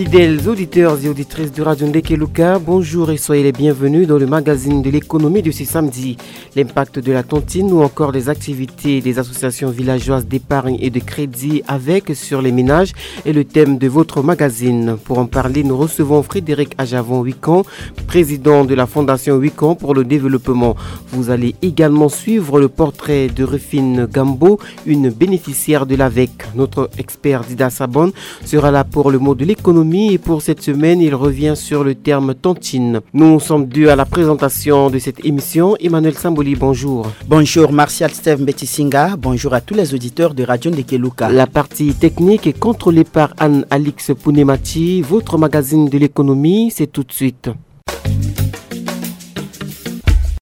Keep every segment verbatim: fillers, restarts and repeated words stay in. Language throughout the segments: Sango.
Fidèles auditeurs et auditrices de Radio Ndekeluka, bonjour et soyez les bienvenus dans le magazine de l'économie de ce samedi. L'impact de la tantine ou encore des activités des associations villageoises d'épargne et de crédit avec sur les ménages est le thème de votre magazine. Pour en parler, nous recevons Frédéric Ajavon Wikan, président de la Fondation Wikan pour le développement. Vous allez également suivre le portrait de Rufine Gambo, une bénéficiaire de l'avec. Notre expert Dida Sabon sera là pour le mot de l'économie et pour cette semaine, il revient sur le terme tantine. Nous sommes deux à la présentation de cette émission. Emmanuel Samboli, bonjour. Bonjour Martial Steve Mbetisinga, bonjour à tous les auditeurs de Radio Ndekeluka. La partie technique est contrôlée par Anne-Alix Pounemati. Votre magazine de l'économie, c'est tout de suite.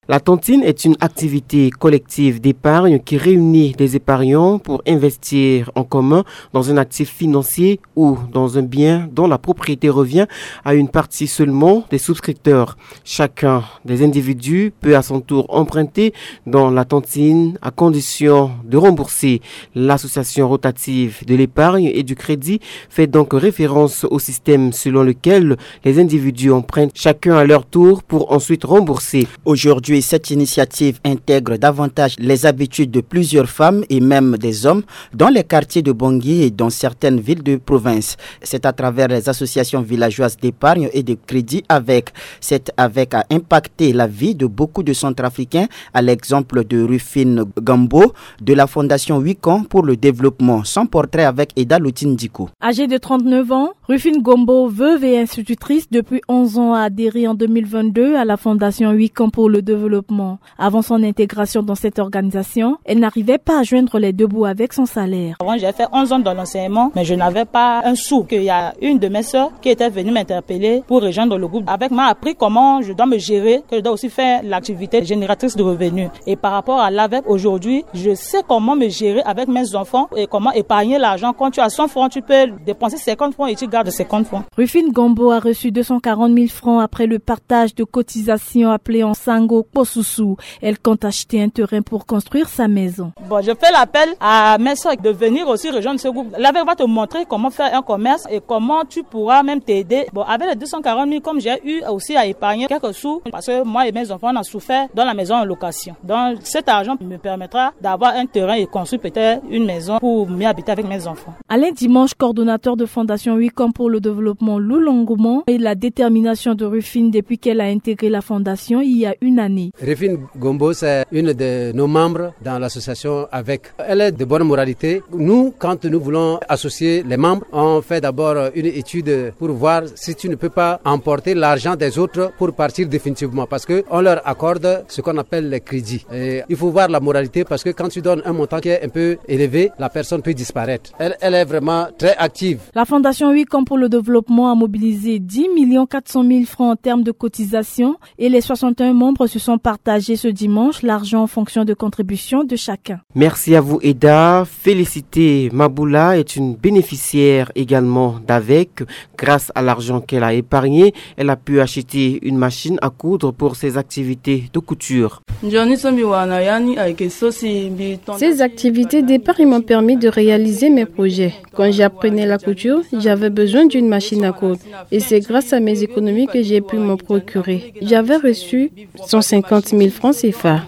La tantine est une activité collective d'épargne qui réunit des épargnants pour investir en commun dans un actif financier ou dans un bien dont la propriété revient à une partie seulement des souscripteurs. Chacun des individus peut à son tour emprunter dans la tantine à condition de rembourser. L'association rotative de l'épargne et du crédit fait donc référence au système selon lequel les individus empruntent chacun à leur tour pour ensuite rembourser. Aujourd'hui, cette initiative intègre davantage les habitudes de plusieurs femmes et même des hommes dans les quartiers de Bangui et dans certaines villes de province. C'est à travers les associations villageoises d'épargne et de crédit avec. Cette avec a impacté la vie de beaucoup de Centrafricains, à l'exemple de Rufine Gambo, de la Fondation Wikan pour le développement. Son portrait avec Eda Lotindiko. Âgée de trente-neuf ans, Rufine Gombo, veuve et institutrice depuis onze ans, a adhéré en deux mille vingt-deux à la Fondation Wikan pour le développement. Avant son intégration dans cette organisation, elle n'arrivait pas à joindre les deux bouts avec son salaire. Avant, j'ai fait onze ans dans l'enseignement, mais je n'avais pas un sou. Qu'il y a une de mes sœurs qui était venue m'interpeller pour rejoindre le groupe. Avec m'a appris comment je dois me gérer, que je dois aussi faire l'activité génératrice de revenus. Et par rapport à l'avec, aujourd'hui, je sais comment me gérer avec mes enfants et comment épargner l'argent. Quand tu as cent francs, tu peux dépenser cinquante francs et tu gardes cinquante francs. Rufine Gombo a reçu deux cent quarante mille francs après le partage de cotisations appelé en sango kposusu. Elle compte acheter un terrain pour construire sa maison. Bon, je fais l'appel à mes soeurs de venir aussi rejoindre ce groupe. L'avec va te montrer comment faire un commerce et comment tu pourras même t'aider. Bon, avec les deux cent quarante mille, comme j'ai eu aussi à épargner quelques sous, parce que moi et mes enfants, on a souffert dans la maison en location. Donc, cet argent me permettra d'avoir un terrain et construire peut-être une maison pour mieux habiter avec mes enfants. Alain Dimanche, coordonnateur de Fondation Wikan pour le développement, loue l'engouement et la détermination de Rufine depuis qu'elle a intégré la fondation il y a une année. Rufine Gombo, c'est une de nos membres dans l'association avec. Elle est de bonne moralité. Nous, quand nous voulons associer les membres, on fait d'abord une étude pour voir si tu ne peux pas emporter l'argent des autres pour partir définitivement, parce que on leur accorde ce qu'on appelle les crédits. Et il faut voir la moralité, parce que quand tu donnes un montant qui est un peu élevé, la personne peut disparaître. Elle, elle est vraiment très active. La Fondation Wikan pour le développement a mobilisé dix millions quatre cent mille francs en termes de cotisation et les soixante et un membres se sont partagés ce dimanche l'argent en fonction de contributions de chacun. Merci à vous, Eda. Félicité Maboula est une bénéficiaire également d'avec. Grâce à l'argent qu'elle a épargné, elle a pu acheter une machine à coudre pour ses activités de couture. Ces activités d'épargne m'ont permis de réaliser mes projets. Quand j'apprenais la couture, j'avais besoin d'une machine à coudre. Et c'est grâce à mes économies que j'ai pu m'en procurer. J'avais reçu cent cinquante mille francs C F A.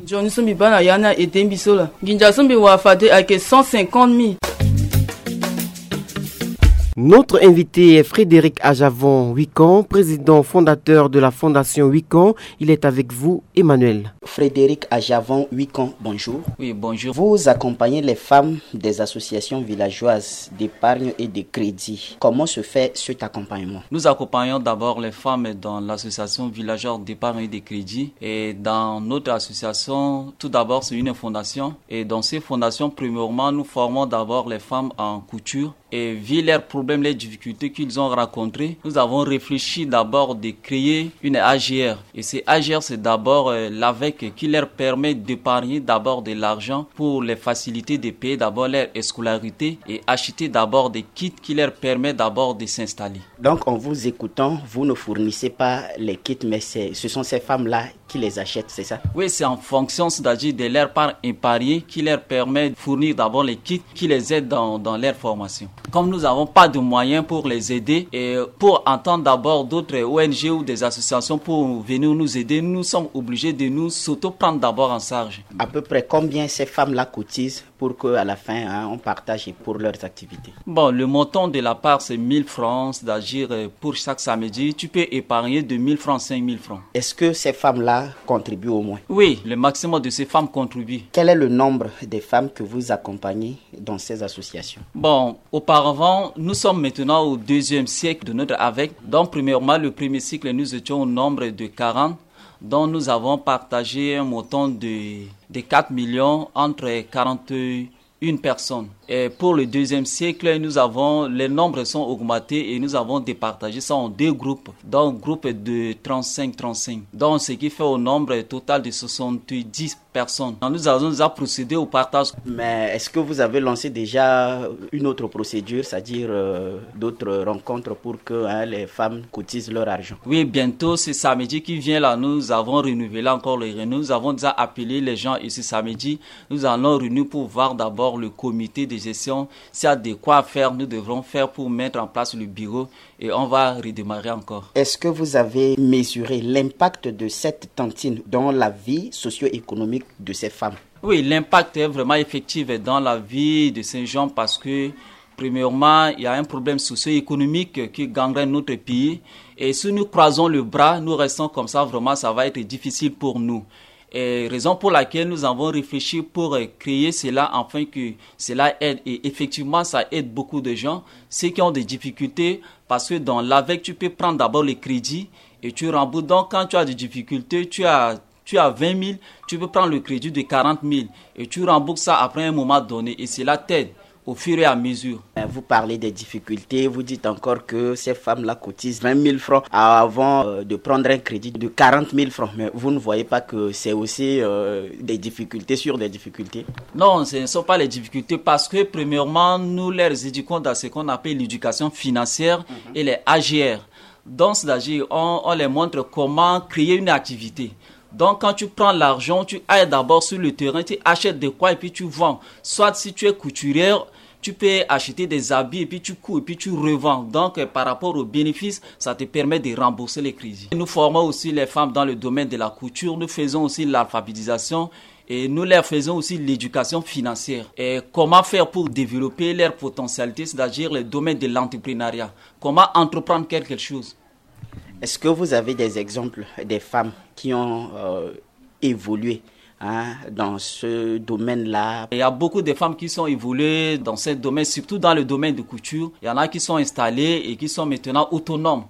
Notre invité est Frédéric Ajavon Wikan, président fondateur de la Fondation Wikan. Il est avec vous, Emmanuel. Frédéric Ajavon Wikan, bonjour. Oui, bonjour. Vous accompagnez les femmes des associations villageoises d'épargne et de crédit. Comment se fait cet accompagnement ? Nous accompagnons d'abord les femmes dans l'association villageoise d'épargne et de crédit. Et dans notre association, tout d'abord, c'est une fondation. Et dans ces fondations, premièrement, nous formons d'abord les femmes en couture. Et vu leurs problèmes, les difficultés qu'ils ont rencontrées, nous avons réfléchi d'abord de créer une A G R. Et ces A G R, c'est d'abord, euh, l'avec qui leur permet d'épargner d'abord de l'argent pour les faciliter de payer d'abord leur scolarité et acheter d'abord des kits qui leur permettent d'abord de s'installer. Donc, en vous écoutant, vous ne fournissez pas les kits, mais c'est, ce sont ces femmes-là qui les achètent, c'est ça? Oui, c'est en fonction, c'est-à-dire de leur part épargnée qui leur permet de fournir d'abord les kits qui les aident dans, dans leur formation. Comme nous n'avons pas de moyens pour les aider et pour entendre d'abord d'autres O N G ou des associations pour venir nous aider, nous sommes obligés de nous s'auto-prendre d'abord en charge. À peu près combien ces femmes-là cotisent pour qu'à la fin, hein, on partage pour leurs activités? Bon, le montant de la part, c'est mille francs, c'est-à-dire euh, pour chaque samedi, tu peux épargner de mille francs, cinq mille francs. Est-ce que ces femmes-là contribuent au moins? Oui, le maximum de ces femmes contribuent. Quel est le nombre des femmes que vous accompagnez dans ces associations? Bon, auparavant, nous sommes maintenant au deuxième siècle de notre avec. Donc, premièrement, le premier cycle, nous étions au nombre de quarante, dont nous avons partagé un montant de, de quatre millions entre quarante-une personnes. Et pour le deuxième cycle, nous avons, les nombres sont augmentés et nous avons départagé ça en deux groupes. Donc, groupe de trente-cinq, trente-cinq. Donc, ce qui fait au nombre total de soixante-dix personnes. Nous avons déjà procédé au partage. Mais est-ce que vous avez lancé déjà une autre procédure, c'est-à-dire euh, d'autres rencontres pour que, hein, les femmes cotisent leur argent? Oui, bientôt, ce samedi qui vient là, nous avons renouvelé encore les réunions. Nous avons déjà appelé les gens et ce samedi, nous allons réunir pour voir d'abord le comité de gestion. S'il y a de quoi faire, nous devrons faire pour mettre en place le bureau et on va redémarrer encore. Est-ce que vous avez mesuré l'impact de cette tantine dans la vie socio-économique de ces femmes? Oui, l'impact est vraiment effectif dans la vie de ces gens parce que, premièrement, il y a un problème socio-économique qui gangrène notre pays. Et si nous croisons le bras, nous restons comme ça, vraiment, ça va être difficile pour nous. Et raison pour laquelle nous avons réfléchi pour euh, créer cela afin que cela aide. Et effectivement, ça aide beaucoup de gens, ceux qui ont des difficultés, parce que dans l'avec, tu peux prendre d'abord les crédits et tu rembourses. Donc, quand tu as des difficultés, tu as, tu as vingt mille, tu peux prendre le crédit de quarante mille et tu rembourses ça après un moment donné. Et cela t'aide au fur et à mesure. Vous parlez des difficultés, vous dites encore que ces femmes-là cotisent vingt mille francs avant euh, de prendre un crédit de quarante mille francs. Mais vous ne voyez pas que c'est aussi euh, des difficultés sur des difficultés? Non, ce ne sont pas les difficultés parce que, premièrement, nous les éduquons dans ce qu'on appelle l'éducation financière et les A G R. Donc, c'est-à-dire, on, on les montre comment créer une activité. Donc, quand tu prends l'argent, tu ailles d'abord sur le terrain, tu achètes de quoi et puis tu vends. Soit si tu es couturière, tu peux acheter des habits et puis tu couds et puis tu revends. Donc, euh, par rapport aux bénéfices, ça te permet de rembourser les crédits. Nous formons aussi les femmes dans le domaine de la couture. Nous faisons aussi l'alphabétisation et nous leur faisons aussi l'éducation financière. Et comment faire pour développer leurs potentialités, c'est-à-dire le domaine de l'entrepreneuriat. Comment entreprendre quelque chose. Est-ce que vous avez des exemples des femmes qui ont euh, évolué hein, dans ce domaine-là? Il y a beaucoup de femmes qui sont évoluées dans ce domaine, surtout dans le domaine de couture. Il y en a qui sont installées et qui sont maintenant autonomes.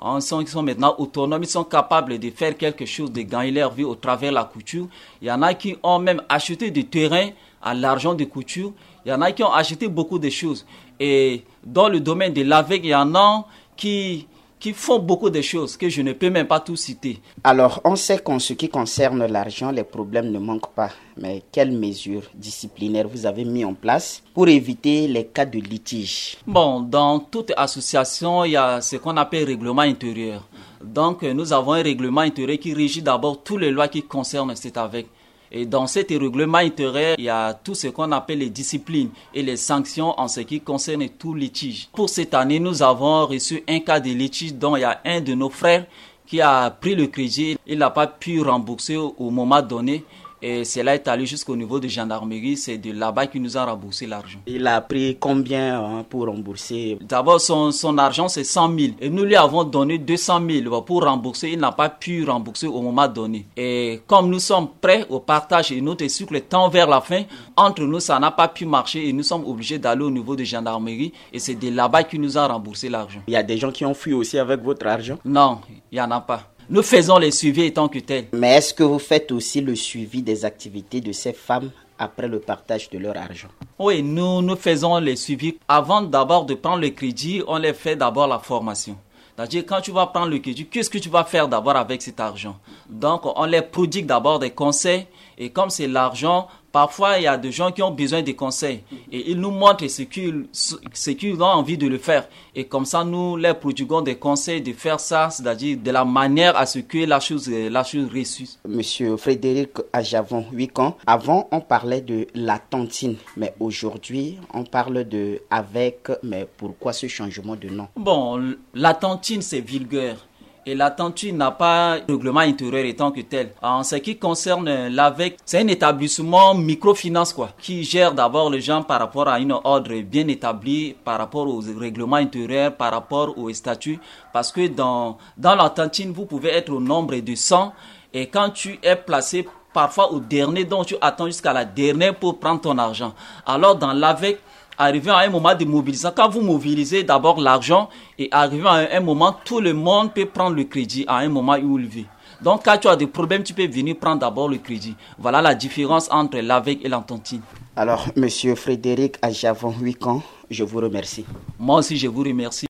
Ils sont, ils sont maintenant autonomes, ils sont capables de faire quelque chose, de gagner leur vie au travers de la couture. Il y en a qui ont même acheté du terrain à l'argent de couture. Il y en a qui ont acheté beaucoup de choses. Et dans le domaine de l'avec, il y en a qui, qui font beaucoup de choses que je ne peux même pas tout citer. Alors, on sait qu'en ce qui concerne l'argent, les problèmes ne manquent pas. Mais quelles mesures disciplinaires vous avez mis en place pour éviter les cas de litige? Bon, dans toute association, il y a ce qu'on appelle règlement intérieur. Donc, nous avons un règlement intérieur qui régit d'abord toutes les lois qui concernent cet avec. Et dans cet règlement intérieur, il y a tout ce qu'on appelle les disciplines et les sanctions en ce qui concerne tout litige. Pour cette année, nous avons reçu un cas de litige dont il y a un de nos frères qui a pris le crédit, il n'a pas pu rembourser au moment donné. Et cela est allé jusqu'au niveau de gendarmerie. C'est de là-bas qu'il nous a remboursé l'argent. Il a pris combien hein, pour rembourser? D'abord, son, son argent, c'est cent mille. Et nous lui avons donné deux cent mille pour rembourser. Il n'a pas pu rembourser au moment donné. Et comme nous sommes prêts au partage et notre cycle tend vers la fin, entre nous, ça n'a pas pu marcher et nous sommes obligés d'aller au niveau de gendarmerie. Et c'est de là-bas qu'il nous a remboursé l'argent. Il y a des gens qui ont fui aussi avec votre argent? Non, il n'y en a pas. Nous faisons les suivis étant que tels. Mais est-ce que vous faites aussi le suivi des activités de ces femmes après le partage de leur argent? Oui, nous, nous faisons les suivis. Avant d'abord de prendre le crédit, on les fait d'abord la formation. C'est-à-dire, quand tu vas prendre le crédit, qu'est-ce que tu vas faire d'abord avec cet argent? Donc, on les prodigue d'abord des conseils. Et comme c'est l'argent, Parfois, il y a des gens qui ont besoin de conseils et ils nous montrent ce qu'ils ce qu'ils ont envie de le faire. Et comme ça, nous leur prodiguons des conseils de faire ça, c'est-à-dire de la manière à ce que la chose, la chose réussisse. Monsieur Frédéric Ajavon, huit ans. Avant, on parlait de la tantine, mais aujourd'hui, on parle de avec, mais pourquoi ce changement de nom? Bon, la tantine, c'est vulgaire. Et la tantine n'a pas de règlement intérieur étant que tel. En ce qui concerne l'avec, c'est un établissement microfinance, quoi, qui gère d'abord les gens par rapport à une ordre bien établie, par rapport au règlement intérieur, par rapport au statut. Parce que dans, dans la tantine, vous pouvez être au nombre de cent. Et quand tu es placé parfois au dernier, donc tu attends jusqu'à la dernière pour prendre ton argent. Alors dans l'avec, arrivé à un moment de mobilisation, quand vous mobilisez d'abord l'argent et arrivé à un moment, tout le monde peut prendre le crédit à un moment où il veut. Donc quand tu as des problèmes, tu peux venir prendre d'abord le crédit. Voilà la différence entre l'avec et la tantine. Alors, monsieur Frédéric Ajavon, huit ans, je vous remercie. Moi aussi, je vous remercie.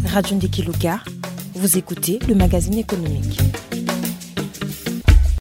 Radio Ndeki Luka, vous écoutez le magazine économique.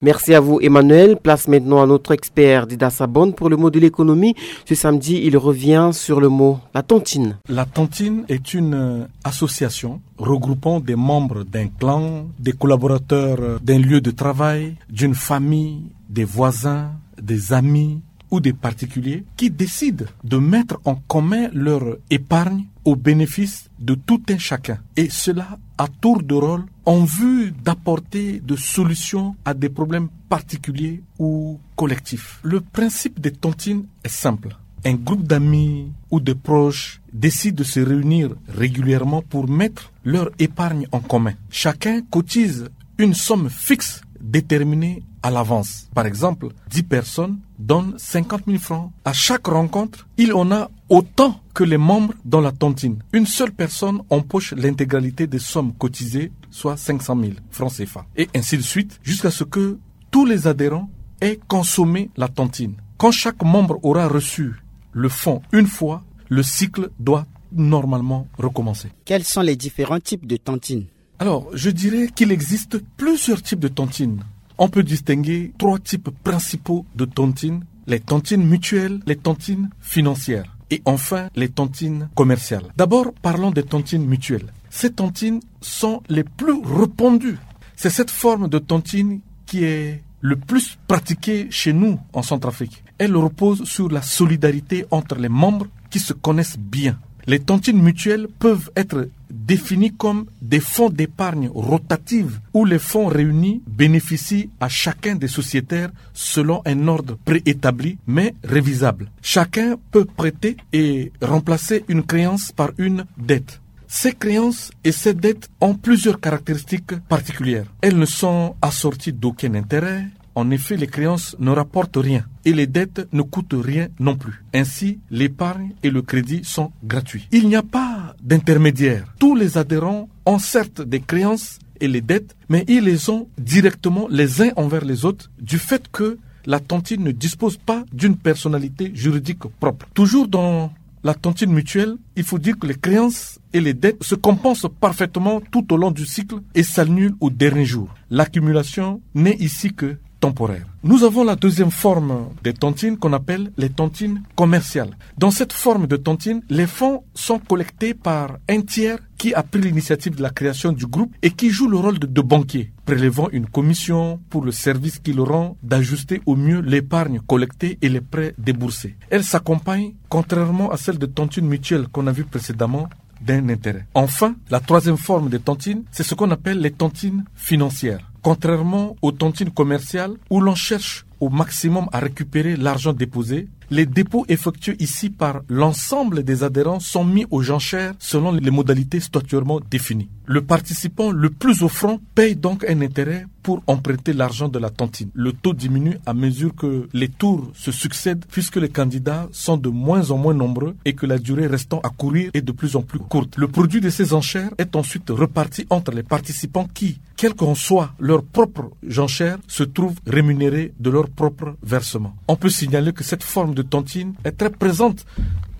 Merci à vous, Emmanuel. Place maintenant à notre expert Dida Sabon pour le mot de l'économie. Ce samedi, il revient sur le mot la tantine. La tantine est une, euh, association regroupant des membres d'un clan, des collaborateurs, euh, d'un lieu de travail, d'une famille, des voisins, des amis ou des particuliers qui décident de mettre en commun leur épargne au bénéfice de tout un chacun, et cela à tour de rôle en vue d'apporter des solutions à des problèmes particuliers ou collectifs. Le principe des tantines est simple. Un groupe d'amis ou de proches décide de se réunir régulièrement pour mettre leur épargne en commun. Chacun cotise une somme fixe déterminée à l'avance. Par exemple, dix personnes donnent cinquante mille francs. À chaque rencontre, il en a autant que les membres dans la tantine. Une seule personne empoche l'intégralité des sommes cotisées, soit cinq cent mille francs C F A. Et ainsi de suite, jusqu'à ce que tous les adhérents aient consommé la tantine. Quand chaque membre aura reçu le fonds une fois, le cycle doit normalement recommencer. Quels sont les différents types de tantines ? Alors, je dirais qu'il existe plusieurs types de tantines. On peut distinguer trois types principaux de tantines, les tantines mutuelles, les tantines financières et enfin les tantines commerciales. D'abord, parlons des tantines mutuelles. Ces tantines sont les plus répandues. C'est cette forme de tantine qui est le plus pratiquée chez nous en Centrafrique. Elle repose sur la solidarité entre les membres qui se connaissent bien. Les tantines mutuelles peuvent être définies comme des fonds d'épargne rotative où les fonds réunis bénéficient à chacun des sociétaires selon un ordre préétabli mais révisable. Chacun peut prêter et remplacer une créance par une dette. Ces créances et ces dettes ont plusieurs caractéristiques particulières. Elles ne sont assorties d'aucun intérêt. En effet, les créances ne rapportent rien et les dettes ne coûtent rien non plus. Ainsi, l'épargne et le crédit sont gratuits. Il n'y a pas d'intermédiaire. Tous les adhérents ont certes des créances et les dettes, mais ils les ont directement les uns envers les autres du fait que la tantine ne dispose pas d'une personnalité juridique propre. Toujours dans la tantine mutuelle, il faut dire que les créances et les dettes se compensent parfaitement tout au long du cycle et s'annulent au dernier jour. L'accumulation n'est ici que temporaire. Nous avons la deuxième forme des tantines qu'on appelle les tantines commerciales. Dans cette forme de tantine, les fonds sont collectés par un tiers qui a pris l'initiative de la création du groupe et qui joue le rôle de, de banquier, prélevant une commission pour le service qu'il rend d'ajuster au mieux l'épargne collectée et les prêts déboursés. Elle s'accompagne, contrairement à celle de tantine mutuelle qu'on a vue précédemment, d'un intérêt. Enfin, la troisième forme de tantine, c'est ce qu'on appelle les tantines financières. Contrairement aux tantines commerciales où l'on cherche au maximum à récupérer l'argent déposé, les dépôts effectués ici par l'ensemble des adhérents sont mis aux enchères selon les modalités statuairement définies. Le participant le plus offrant paye donc un intérêt pour emprunter l'argent de la tantine. Le taux diminue à mesure que les tours se succèdent puisque les candidats sont de moins en moins nombreux et que la durée restant à courir est de plus en plus courte. Le produit de ces enchères est ensuite reparti entre les participants qui, quelles qu'en soient leurs propres enchères, se trouvent rémunérés de leur propre versement. On peut signaler que cette forme de tantine est très présente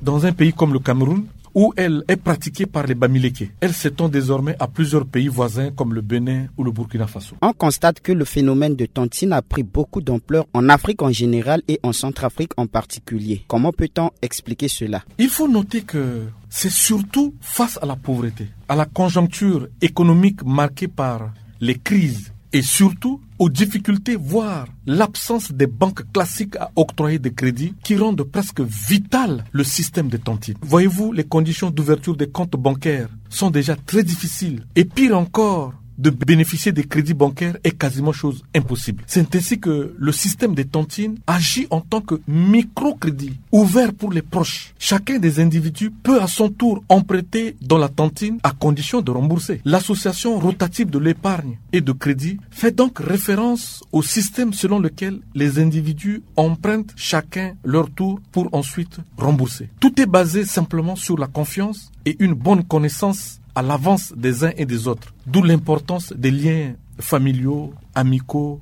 dans un pays comme le Cameroun, où elle est pratiquée par les Bamileke. Elle s'étend désormais à plusieurs pays voisins comme le Bénin ou le Burkina Faso. On constate que le phénomène de tantine a pris beaucoup d'ampleur en Afrique en général et en Centrafrique en particulier. Comment peut-on expliquer cela ? Il faut noter que c'est surtout face à la pauvreté, à la conjoncture économique marquée par les crises et surtout aux difficultés, voire l'absence des banques classiques à octroyer des crédits qui rendent presque vital le système des tantines. Voyez-vous, les conditions d'ouverture des comptes bancaires sont déjà très difficiles et pire encore, de bénéficier des crédits bancaires est quasiment chose impossible. C'est ainsi que le système des tantines agit en tant que microcrédit ouvert pour les proches. Chacun des individus peut à son tour emprunter dans la tantine à condition de rembourser. L'association rotative de l'épargne et de crédit fait donc référence au système selon lequel les individus empruntent chacun leur tour pour ensuite rembourser. Tout est basé simplement sur la confiance et une bonne connaissance à l'avance des uns et des autres, d'où l'importance des liens familiaux, amicaux,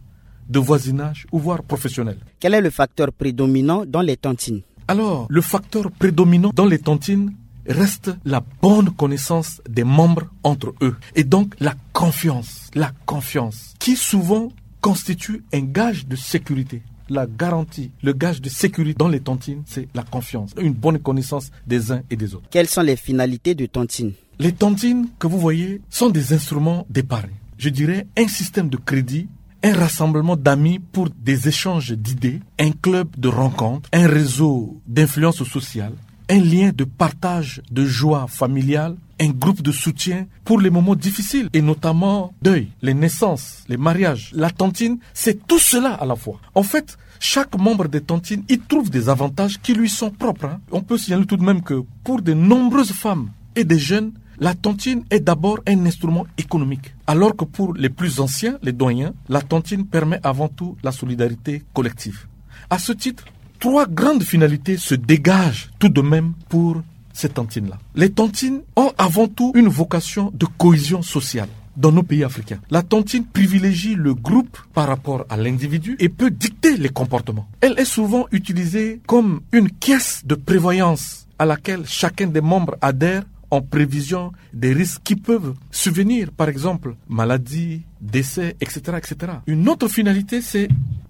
de voisinage ou voire professionnels. Quel est le facteur prédominant dans les tantines ? Alors, le facteur prédominant dans les tantines reste la bonne connaissance des membres entre eux et donc la confiance, la confiance qui souvent constitue un gage de sécurité. La garantie, le gage de sécurité dans les tantines, c'est la confiance, une bonne connaissance des uns et des autres. Quelles sont les finalités de tantine ? Les tantines que vous voyez sont des instruments d'épargne. Je dirais un système de crédit, un rassemblement d'amis pour des échanges d'idées, un club de rencontres, un réseau d'influence sociale, un lien de partage de joie familiale, un groupe de soutien pour les moments difficiles et notamment deuil, les naissances, les mariages. La tantine, c'est tout cela à la fois. En fait, chaque membre des tantines y trouve des avantages qui lui sont propres, hein. On peut signaler tout de même que pour de nombreuses femmes et des jeunes, la tantine est d'abord un instrument économique, alors que pour les plus anciens, les doyens, la tantine permet avant tout la solidarité collective. À ce titre, trois grandes finalités se dégagent tout de même pour ces tantines-là. Les tantines ont avant tout une vocation de cohésion sociale. Dans nos pays africains, la tantine privilégie le groupe par rapport à l'individu et peut dicter les comportements. Elle est souvent utilisée comme une caisse de prévoyance à laquelle chacun des membres adhère en prévision des risques qui peuvent survenir, par exemple maladie, décès, et cetera, et cetera. Une autre finalité, c'est,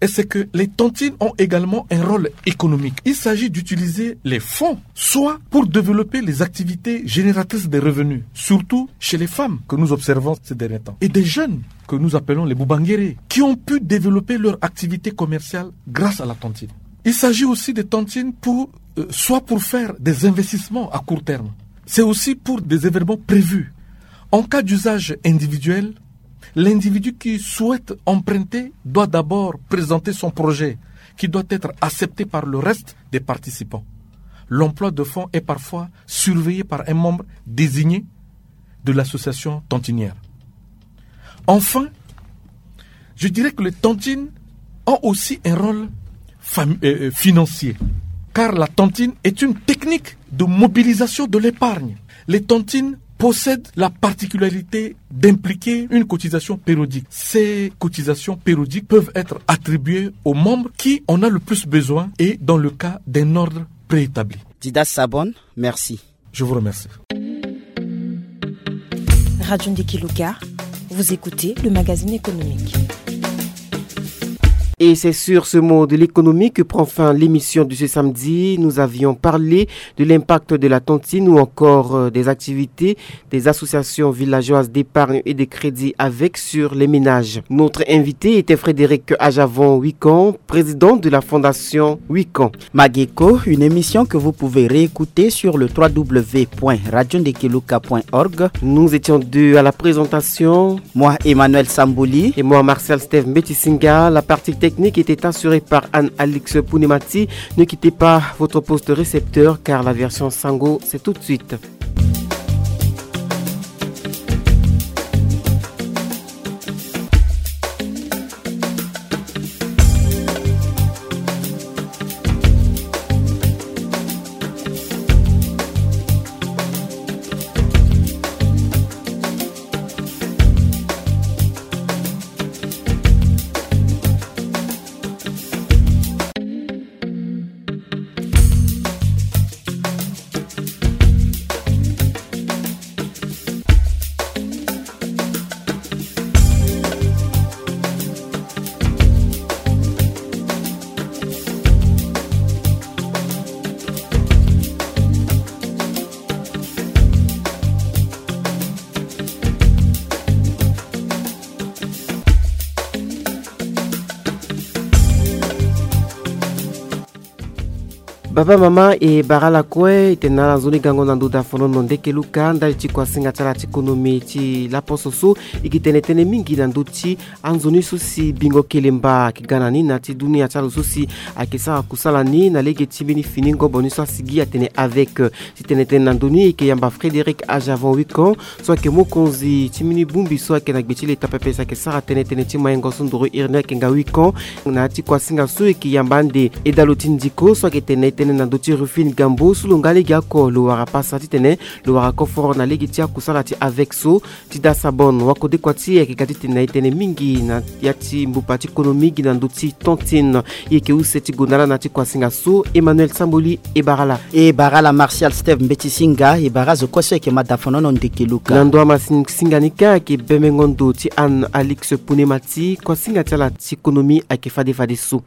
c'est que les tantines ont également un rôle économique. Il s'agit d'utiliser les fonds soit pour développer les activités génératrices de revenus, surtout chez les femmes que nous observons ces derniers temps, et des jeunes que nous appelons les boubanguérés, qui ont pu développer leur activité commerciale grâce à la tantine. Il s'agit aussi des tantines pour, euh, soit pour faire des investissements à court terme, c'est aussi pour des événements prévus. En cas d'usage individuel, l'individu qui souhaite emprunter doit d'abord présenter son projet, qui doit être accepté par le reste des participants. L'emploi de fonds est parfois surveillé par un membre désigné de l'association tantinière. Enfin, je dirais que les tantines ont aussi un rôle fam- euh, euh, financier, car la tantine est une technique de mobilisation de l'épargne. Les tantines possèdent la particularité d'impliquer une cotisation périodique. Ces cotisations périodiques peuvent être attribuées aux membres qui en a le plus besoin et dans le cas d'un ordre préétabli. Dida Sabon, merci. Je vous remercie. Radio Ndekeluka, vous écoutez le magazine économique. Et c'est sur ce mot de l'économie que prend fin l'émission de ce samedi. Nous avions parlé de l'impact de la tantine ou encore, euh, des activités des associations villageoises d'épargne et de crédit avec sur les ménages. Notre invité était Frédéric Ajavon Wikan, président de la fondation Wikan. Mageko, une émission que vous pouvez réécouter sur le trois w point radio ndekeluka point org. Nous étions deux à la présentation. Moi, Emmanuel Samboli. Et moi, Martial Steve Mbetisinga. La partie technique était assurée par Anne-Alix Pounemati. Ne quittez pas votre poste récepteur car la version Sango, c'est tout de suite. Baba, mama, e bara ala kue. E tene na ala nzoni gango na ndo dafonono ndeke luka ndali ti kuasinga ti ala ti konomi ti laposo so e ke tene tënë mingi na ndö ti anzoni so si Bingo Kelemba ayeke ga na ni na ya ti dunia ti azo so si ayeke sara kusala ni na lege ti mbeni fini ngobo ni so asigi atene avec. Ti tene tënë na ndö ni e yeke yamba Frédéric Ajavon Wicon, so ayeke mokonzi ti mbeni bongbi so ayeke na gbe ti leta pepe si ayeke sara tënë tënë ti maingo so ndoro iri ni ayeke nga Wicon. Na ya ti kuasinga so e yeke yamba ande Edalo ti Ndiko so ayeke tene tënë na ndö ti Rufine Gambo so lo nga legeoko lo wara pasa titene lo wara koforo na lege ti akusala ti avec so. Ti da Sabon, wakode kua ti e ayeke ga titene na e tënë mingi na ya ti mbupa ti konomi gi na ndö ti tontine. E yeke use ti gonda laa na ya ti kuasinga so. Emmanuel Samboli e bara ala. E bara ala Martial Steve Mbeti Singa, e bara azo kue so ayeke ma dafonono ndeke luka. Na ndo amasini singa ni kâ ayeke bemengo ndo ti Anne Alix Punemati, kuasinga ti ala ti konomi ayeke fade fadeso.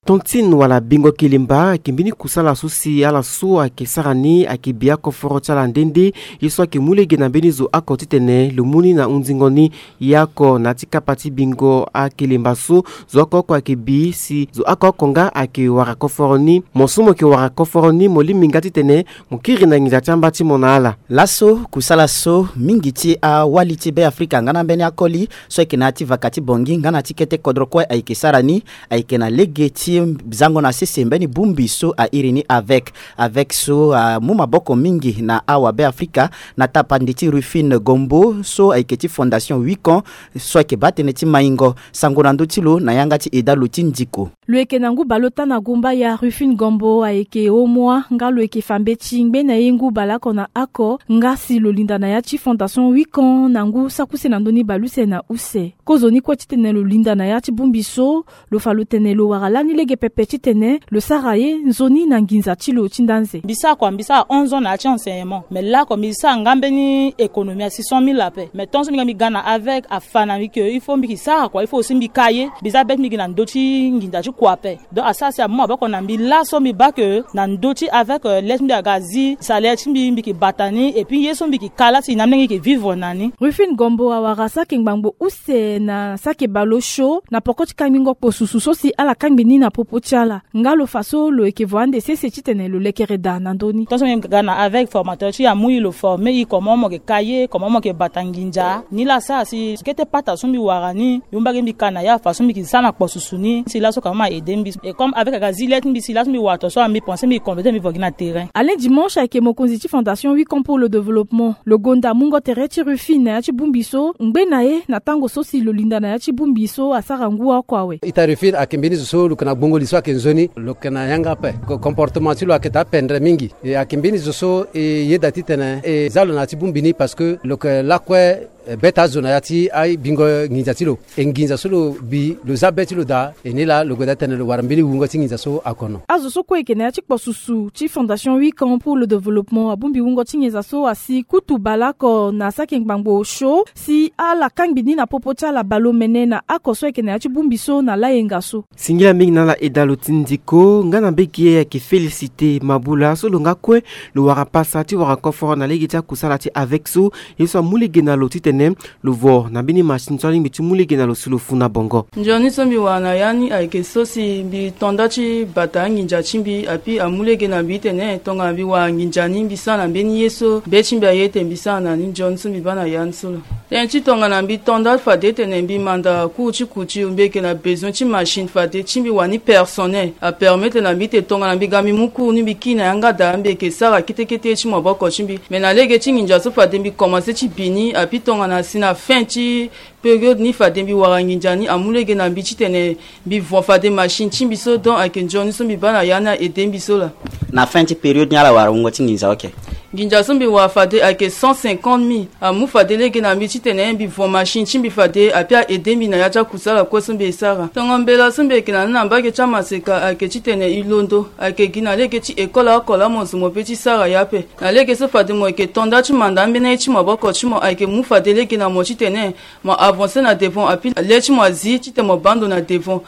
Tontine wala Bingo Kelemba ayeke mbeni kusala so si ala so ayeke sara ni ayeke bi akoforo ti ala nde nde. Ye so ayeke mu lege na mbeni zo oko titene lo mu ni na hunzingo ni. Ye oko na ya ti kapa ti Bingo Akelemba so, zo oko oko ayeke bi si zo oko oko nga ayeke wara koforo ni. Mo so mo yeke wara koforo ni, mo lingbi nga titene mo kiri na nginza ti amba ti mo na ala. Laso kusala so mingi ti awali ti Beafrika nga na mbeni akoli so ayeke na ya ti vaka ti Bangui nga na ya ti kete kodro kue ayeke sara ni, ayeke na lege ti zango na sese mbeni bongbi so a iri ni avec. Avec so amu maboko mingi na awabeafrika na tapande ti Rufine Gombo so ayeke ti Fondation Wicon so ayeke baa tënë ti maingo. Sango na ndö ti lo na yanga ti Edalo ti Ndiko. Lo yeke na ngu baleota na gumbaya. Rufine Gombo ayeke homoi nga lo yeke fa mbeti ngbene ye ngu baleoko na oko nga si lo linda na ya ti Fondation Wicon na ngu saki use na ndö ni baleuse na use. Kozoni kue titene lo linda na ya ti bongbi so, lo fa lo tene lo wara lani lege pepe titene lo sara ye nzoni na nginza ti lo ti nda nze. Mbi sara kua, mbi sara onze ans na ya ti enseignement, mais laoko mbi sara nga mbeni économie asi cent mille ape. Mais tant so mbi ga mbi ga na avec afa na mbi ke il faut mbi ke sara kua, il faut aussi mbi ka ye. Mbi za be ti mbi gi na ndö ti nginza ti kua ape. Donc asara si amu maboko na mbi laso mbi baa ke na ndö ti avec, euh, le ti mbi aga zi salaire ti mbi, mbi ke bata ni, et puis ye so mbi ke ka la si na mbi ke vivre na ni. Rufine Gombo awara saki ngbangbo use na saki baleosio na poko ti kangbingo kpo susu so si ala kangbi ni na popo ti ala. Nga lo fa so lo yeke vo ande sese titene lo lekere daa na ndö ni. Tant so mbi ga na avec formateur ti e amu e lo former e comment mo yeke ka ye, comment mo yeke bata nginza. Ni la asara si kete pata so mbi wara ni, mbi mu mbage mbi ka na ya fa so mbi ke sara na kpo susu ni si laso ka ma aide mbi. Et comme avec aga zi le ti mbi si laso mbi wara to so, mbi pense mbi compléter mbi vo gi na terrain. Alain Dimanche ayeke mokonzi ti Fondation Wicon pour le Développement. Lo gonda mungo tere ti Rufine na ya ti bongbi so ngbe na ye na tango so si lo linda na ya ti bongbi so asara ngu oko awe. Ita Rufine ayeke mbeni zo so lo yeke na gbongo li so ayeke nzoni, lo yeke na yanga ape. Ko-, comportement ti lo ayeke daa pendre mingi. E ayeke mbeni zo so e yeda titene e za lo na ya ti bongbi ni parce que lo yeke lakue, e, beta azo na ya ti abingo nginza ti lo. E nginza so lo bi lo za be ti lo daa. E ni laa lo goda tene lo wara mbeni wungo ti nginza so akono. Azo so kue e yeke na ya ti kpo susu ti Fondation Wicon pour le Développement abongbi wungo ti nginza so asi kutu baleoko na saki ngbangbo osio si ala kangbi ni na popo ti ala baleomene na oko so e yeke na ya ti bongbi so na layenga so. Singila mingi na ala Edalo ti Ndiko nga na mbage ye ayeke félicité Mabula so lo nga kue lo wara pasa ti wara koforo na lege ti akusala ti avec so. Ye so amu lege na lo titene lo vo na mbeni machine so alingbi ti mu lege na lo si lo fu na bongo. Nzoni so mbi wara na ya ni ayeke so si mbi to nda ti bata anginza ti mbi, api amu lege na mbi tene tongana mbi wara nginza ni mbi sara na mbeni ye so be ti mbi aye ete mbi sara na ni. Nzoni so mbi baa na ya ni so lo. Tënë ti tongana mbi to nda fade tene mbi manda cours ti couture, mbi yeke na besoin ti machine fade ti mbi wani personnel. Apermettre na mbi ete tongana mbi ga mbi mu cours ni mbi kiri na yanga daa mbi yeke sara kete kete ti maboko ti mbi. Mais na lege ti nginza so fade mbi commencer ti bi ni, api tongana si na fin ti période ni fade mbi wara nginza ni amu lege na mbi titene mbi vo fade machine ti mbi so. Donc ayeke nzoni so mbi baa na ya ni a-aide mbi so laa. Na fin ti période ni ala wara wungo ti nginza? Ok. Nginza so mbi wara fade ayeke cent cinquante mille. Amu fade lege na mbi titene mbi vo machine ti mbi fade api a-aide mbi na ya ti akusala kue so mbi e sara. Tongo mbela so mbi yeke na ni na mbage ti amaseka ayeke titene e londo, ayeke gi na lege ti école oko laa mo zo mo pe ti sara ye ape. Na lege so fade mo yeke to nda ti manda ambeni aye ti maboko ti mo, ayeke mu fade lege na mo titene mo avancer na devant, api le ti mo azi titene mo baa ndo na devant.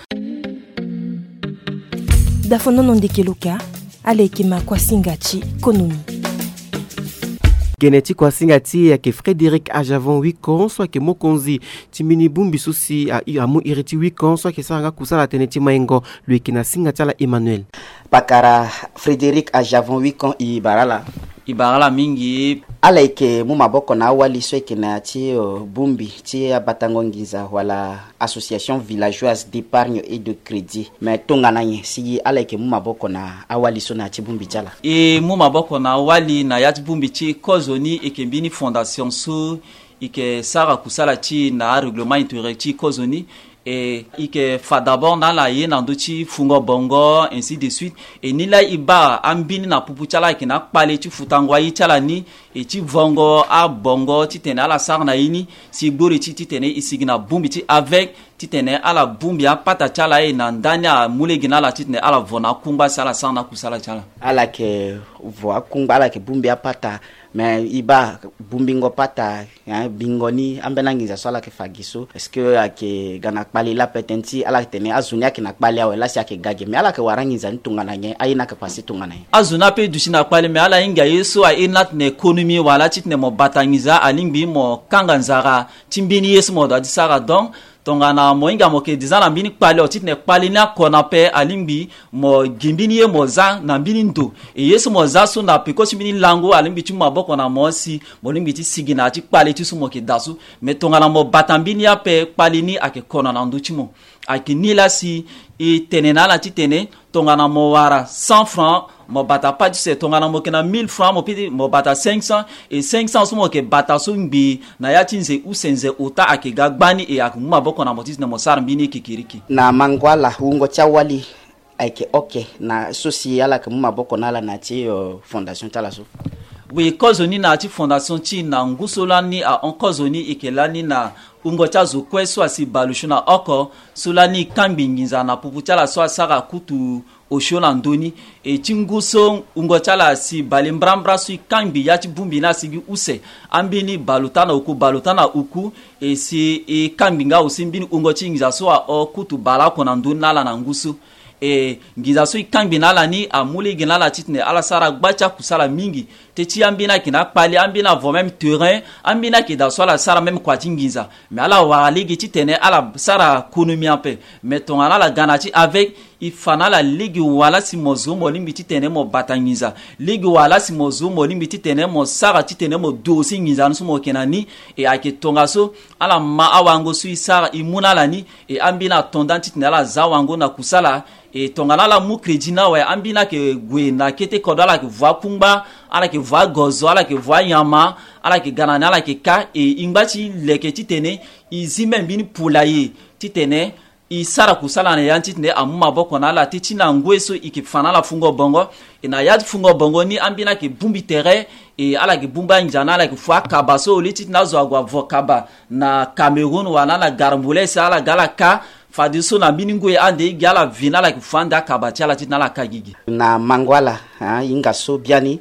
Dafonono ndeke lo ka, ala yeke ma kuasinga ti konomi. Tene ti kuasinga ti e ayeke Frédéric Ajavon Wikon so ayeke mokonzi ti mbeni bongbi so si amu iri ti Wikon so ayeke sara nga kusala tënë ti maingo. Lo yeke na singa ti ala Emmanuel. Pakara Frédéric Ajavon Wikon, e bara ala. E bara ala mingi. Ala yeke mu maboko na awali so ayeke na ya ti bongbi ti abatango nginza wala Association Villageoise d'Épargne et de Crédit. Me tongana nyen si ala yeke mu maboko na awali so na ya ti bongbi ti ala? E mu maboko na awali na ya ti bongbi ti kozoni, e yeke mbeni fondation so e yeke sara kusala ti e na arèglement intérieur ti kozoni. E e yeke fa d'abord na ala ye na ndö ti fungo bongo, ainsi de suite. E nilaa e baa ambeni na pupu ti ala ayeke na akpale ti futango aye ti ala ni, e ti vongo abongo titene ala sara na ye ni, si e gbori ti titene e sigi na bongbi ti avec, titene ala bongbi apata ti ala, e na ndani amu lege na ala titene ala vo na akungba si ala sara na akusala ti ala. Ala yeke vo akungba, ala yeke bongbi apata. Me e baa bongbingo pata, hein, bingo ni ambeni anginza so ala yeke fa gi so, est-ce que ayeke ga na kpale laa? Peut-être ti ala tene azo ni ayeke na kpale awe laa si ayeke ga ge, me ala yeke wara anginza ni tongana nyen? Aye ni ayeke pase tongana nyen? Azo ni ape duti na kpale, me ala hinga ye so airi ni atene économie wala titene mo bata nginza alingbi mo kanga nzara ti mbeni ye so mo doit ti sara. Donc tongana mo hinga mo yeke deza na mbeni kpale, o titene kpale ni akona ape, alingbi mo gi mbeni ye mo za na mbeni ndo. E ye so mo za so na peko ti mbeni lango alingbi ti mu maboko na mo si mo lingbi ti sigi na ya ti kpale ti so mo yeke daa so. Me tongana mo bata mbeni ye ape, kpale ni ayeke kono na ndö ti mo. Ayeke ni laa si e tene na ala titene tongana mo wara cent francs, mo bata pas ti use. Tongana mo yeke na mille francs, mo piti mo bata cinq cents. E cinq cents so mo yeke bata so ngbii na ya ti nze use nze ota ayeke ga gbani, e ayeke mu maboko na mo titene mo sara mbeni ye kekereke. Na mango ala, wungo ti awali ayeke oke na so si ala yeke mu maboko na ala na ya ti, euh, fondation ti ala so? Oui, kozoni na ya ti fondation ti e na ngu so lani ahon kozoni, e yeke lani na wungo ti azo kue so asi bale osio na oko, so lani e kangbi nginza na pupu ti ala so asara kutu osio na ndö ni. E ti ngu so wungo ti ala asi bale mbrambra so e kangbi ya ti bongbi ni asi gi use, ambeni bale ota na oku, bale ota na oku. E si e kangbi nga aussi mbeni wungo ti nginza so ahon kutu baleoko na ndö ni na ala na ngu so. E nginza so e kangbi na ala ni amu lege na ala titene ala sara gba ti akusala mingi. Teti ambeni ayeke na akpale, ambeni avo même terrain, ambeni ayeke daa so ala sara même kua ti nginza. Me ala wara lege titene ala sara konomi ape. Me tongana ala ga na ya ti avec, e fa na ala lege wala si mo zo mo lingbi titene mo bata nginza, lege wala si mo zo mo lingbi titene mo sara titene mo dosi nginza ni so mo yeke na ni. E ayeke tongaso ala ma awango so e sara e mu na ala ni. E ambeni ato nda titene ala za wango na kusala. E tongana ala mu crédit ni awe, ambeni ayeke gue na kete kodro, ala yeke vo akungba, ala yeke vo agozo, ala yeke vo anyama, ala yeke ga na ni, ala yeke ka. E e ngba ti leke titene e zi même mbeni poulailler titene e sara kusala na ya ni titene amu maboko na ala. Teti na ngoi so e yeke fa na ala fungo bongo. E na ya ti fungo bongo ni ambeni ayeke bongbi tere. E ala yeke bongbi anginza na ala yeke fu akaba so au lieu titene azo ague avo kaba na Cameroun wala na Garambulès, ala ga ala ka. Fadeso na mbeni ngoi ande e gi ala ve na ala yeke fu ande akaba ti ala titene ala ka gigi. Na mango ala, ah, e hinga so biani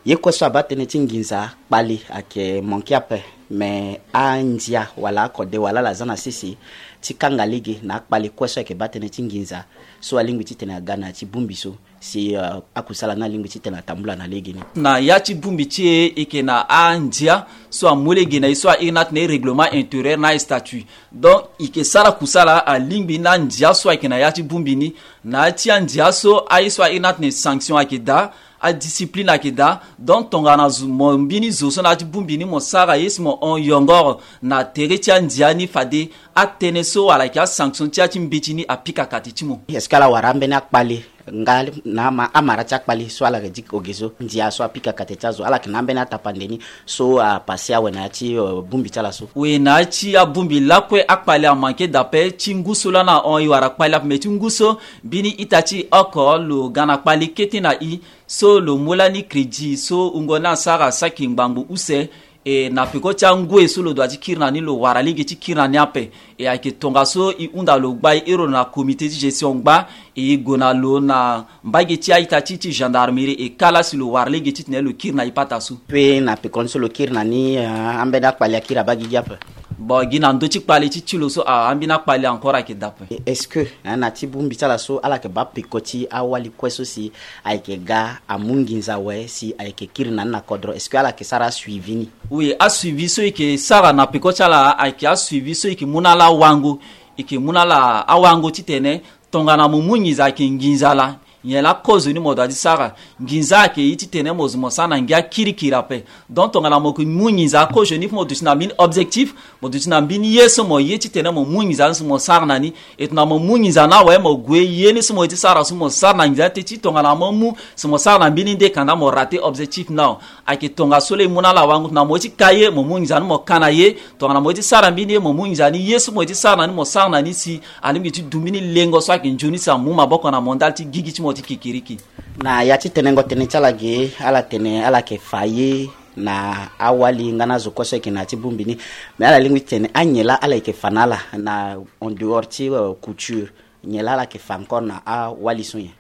ye kue so abaa tënë ti nginza kpale ayeke manke ape. Me andia wala akode wala ala za na sese ti kanga lege na akpale kue so ayeke baa tënë ti nginza so alingbi titene aga na ya ti bongbi so. Si, euh, akusala ni alingbi titene atambula na legeni. Na ya ti bongbi ti e, e yeke na andia so amu lege na e so airi ni atene règlement intérieur na astatut. Donc e yeke sara kusala alingbi na andia so ayeke na ya ti bongbi ni. Na ya ti andia so aye so airi ni atene sanction ayeke daa, adiscipline ayeke daa. Donc tongana zo, mo mbeni zo so na ya ti bongbi ni mo sara ye si mo hon yongoro na tere ti andia ni, fade atënë so wala ayeke asanction ti ya ti mbeti ni apika kati ti mo. Est-ce que ala wara ambeni akpale nga na ama, amara ti akpale so ala yeke di oge so, ndia so apika kati ti azo, ala yeke na ambeni atapande ni so apase awe na ya ti, euh, bongbi ti ala so? Oui, na ya ti abongbi lakue akpale amanke dape. Ti ngu so lani ahon e wara kpale ape, me ti ngu so mbeni ita ti e oko lo ga na kpale kete na e so lo mu lani crédit so wungo ni asara saki ngbangbo use. E na peko ti angoi so lo doit ti kiri na ni, lo wara lege ti kiri na ni ape. E ayeke tongaso e hunda lo gba, e iri lo na comité ti gestion gba, e gue na lo na mbage ti a-ita ti e ti gendarmerie, e kâ laa si lo wara lege titene lo kiri na e pata so. Pe na pekoni so lo kiri na ni, ah, ambeni akpale akiri abaa gigi ape? Bon, gi na ndö ti kpale ti ti lo so, ah, ambeni akpale encore ayeke daa ape. Est-ce que, hein, na ti bongbi ti ala so ala yeke baa peko ti awali kue so si ayeke ga amu nginza awe si ayeke kiri na ni na kodro, est-ce que ala yeke sara asuivi ni? Oui, asuivi so e yeke sara na peko ti ala ayeke asuivi so e yeke mu na ala awango. E yeke mu na ala awango titene tongana mo mu nginza ayeke nginza laa, nyen laa kozoni mo doit ti sara. Nginza ayeke ye titene mo zo mo sara na ngia kirikiri ape. Donc tongana mo yeke mu nginza kozoni, mo duti na mbeni objectif, mo duti na mbeni ye so mo ye titene mo mu nginza ni so mo sara na ni. E tongana mo mu nginza ni awe, mo gue ye ni so mo ye ti sara so mo sara na nginza ni te ti tongana mo mu so mo sara na mbeni nde kanda mo rate objectif ni awe. Ayeke tongaso laa e mu na ala awango. Tongana mo ye ti ka ye, mo mu nginza ni mo ka na ye. Tongana mo ye ti sara mbeni ye, mo mu nginza ni ye so mo ye ti sara na ni mo sara na ni si alingbi ti du mbeni lengo so ayeke nzoni si amu maboko na mo ndali ti gigi ti mo ti kikiriki. Na ya ti tenengo tënë ti ala ge, ala tene ala yeke fa ye na awali nga na azo kue so ayeke na ya ti bongbi ni. Me ala lingbi ti tene anyen laa ala yeke fa na ala na en dehors ti, euh, couture, nyen laa ala yeke fa encore na awali so nyen?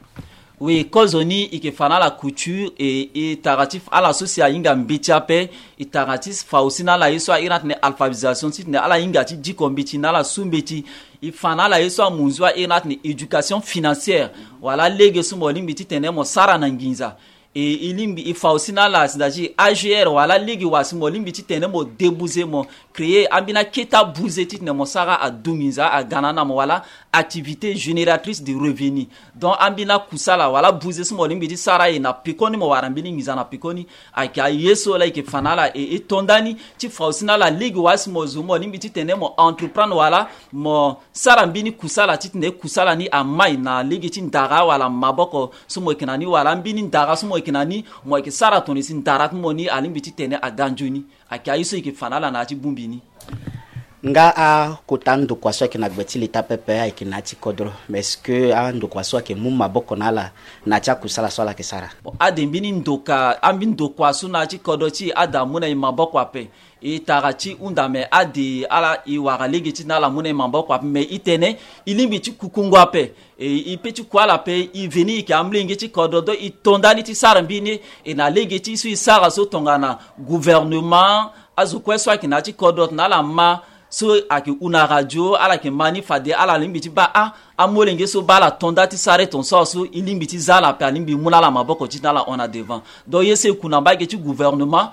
Oui, kozoni e yeke fa na ala couture, e, e tara ti ala so si ahinga mbeti ape. E tara ti fa aussi na ala ye so a iri ni atene alphabétisation titene ala hinga ti diko mbeti na ala su mbeti. E fa na ala ye so amunzu a iri ni atene éducation financière, wala lege so mo lingbi titene mo sara na nginza. E, e lingbi e fa aussi na ala si na ti A G R wala lege wa si mo lingbi titene mo débuter, mo créer ambeni akete abuze titene mo sara adu nginza aga na ni na mo, wala activité génératrice de revenu. Donc ambeni akusala wala buze so mo lingbi ti sara aye na pekoni, mo wara mbeni nginza na pekoni. Ayeke aye so laa e yeke fa na ala, e, e to ndani ti fa aussi na ala lege wa si mo zo mo lingbi titene mo entreprendre wala mo sara mbeni kusala titene kusala ni amai na lege ti ndara wala maboko so mo yeke na ni, wala mbeni ndara so mo yeke na ni, mo yeke sara tongana si ndara ti mo ni alingbi titene aga nzoni. Ayeke aye so e yeke fa na ala na ya ti bongbi ni. Nga akota ndokua so ayeke na gbe ti leta pepe ayeke na ya ti kodro, mais est-ce que andokua so ayeke mu maboko na ala na ya ti akusala so ala yeke sara? Bon, ade mbeni ndoka, ambeni ndokua so na ya ti kodro ti e ade amu na e maboko ape. E tara ti hunda me ade ala e wara lege ti na ala mu na e maboko ape, me e tene e lingbi ti kukungo ape. E, e pe ti ku ala ape, e veni e yeke amolenge ti kodro, donc e to ndani ti sara mbeni ye. E na lege ti e so e sara so tongana gouvernement, azo kue so ayeke na ya ti kodro tongana ala ma so ayeke hu na radio, ala yeke ma ni fade ala lingbi ti baa a, amolenge so baa ala to nda ti sara e ton so aso e lingbi ti za ala ape, alingbi mu na ala maboko titene ala hon na devant. Donc ye so e ku na mbage ti gouvernement,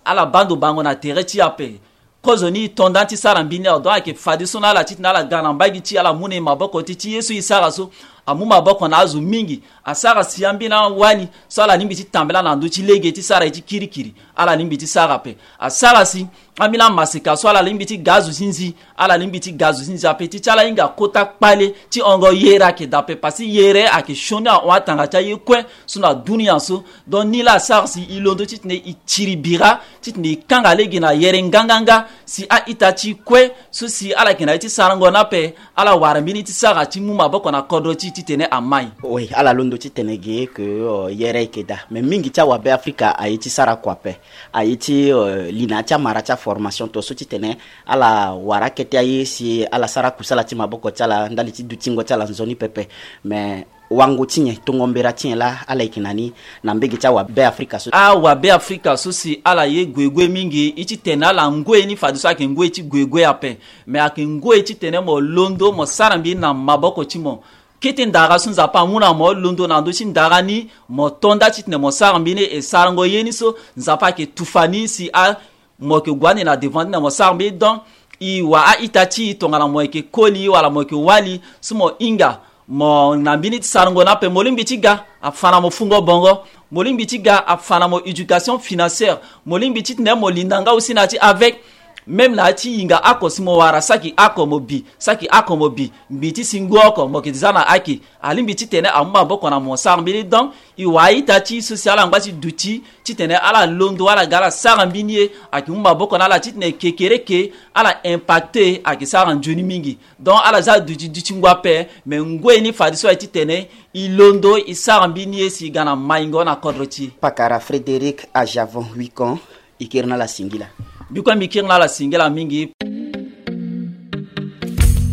ala baa ndo bango na tere ti e ape. Kozoni e to nda ti sara mbeni awa, donc ayeke fadeso na ala titene ala ga na mbage ti e, ala mu na e maboko ti, ti ye so e sara so amu maboko na azo mingi. Asara si ambeni awali so ala lingbi ti tambela na ndö ti lege ti sara ye ti kirikiri, ala lingbi ti sara ape. Asara si ambeni amaseka so ala lingbi ti ga azo ti nzi, ala lingbi ti ga azo ti nzi ape, ti ti ala hinga kota kpale ti hongo yere ayeke daa ape, parce que yere ayeke sioni ahon atanga ti aye kue so na dunia so. Donc ni laa asara si e londo titene e tiri bira titene e kanga lege na yere nganganga, si a-ita ti e kue so si ala yeke na ye ti sarango ni ape, ala wara mbeni ti sara ti mu maboko na kodro ti e titene amai. Oui, ala londo titene ge ke, euh, yere ayeke daa. Mais mingi ti awabe Afrika aye ti sara kua ape. Aye ti, euh, li na ya ti amara ti aformation to so titene ala wara akete aye si ala sara kusala ti maboko ti ala ndali ti dutingo ti ala nzoni pepe. Mais wango ti nyen, tongo mbera ti nyen laa ala yeke na ni na mbege ti awabe Afrika so? Awabe Afrika so si ala ye guegue mingi, e ti tene ala ngoi ni fadeso ayeke ngoi ti guegue ape. Me ayeke ngoi titene mo londo mo sara mbeni na maboko ti mo. Kete ndara so Nzapa amu na mo, londo na ndö ti ndara ni, mo to nda titene mo sara mbeni e sarango ye ni so Nzapa ayeke tufa ni si a mo yeke gue ande na devant ti na mo sara mbeni. Donc e wa a-ita ti e tongana mo yeke koli wala mo yeke wali so mo hinga mo na mbeni ti sarango ni ape, mo lingbi ti ga afa na mo fungo bongo, mo lingbi ti ga afa na mo éducation financière, mo lingbi titene mo linda nga aussi na ya ti avec, même na ya ti hinga oko si mo wara saki oko mo bi, saki oko mo bi, mbi ti si ngu oko mo yeke za na ake. Alingbi titene amu maboko na mo sara mbeni. Donc e wa a-ita ti e so si ala ngba ti duti titene ala londo ala ga ala sara mbeni ye, ayeke mu maboko na ala titene kekereke ala impacte ayeke sara nzoni mingi. Donc ala za duti duti ngu ape, me ngoi ni fadeso aye titene e londo e sara mbeni ye si e ga na maingo na kodro ti e. Pakara Frédéric Ajavon Wikon, e kiri na ala singila. Mbi kue mbi kiri na ala singila mingi.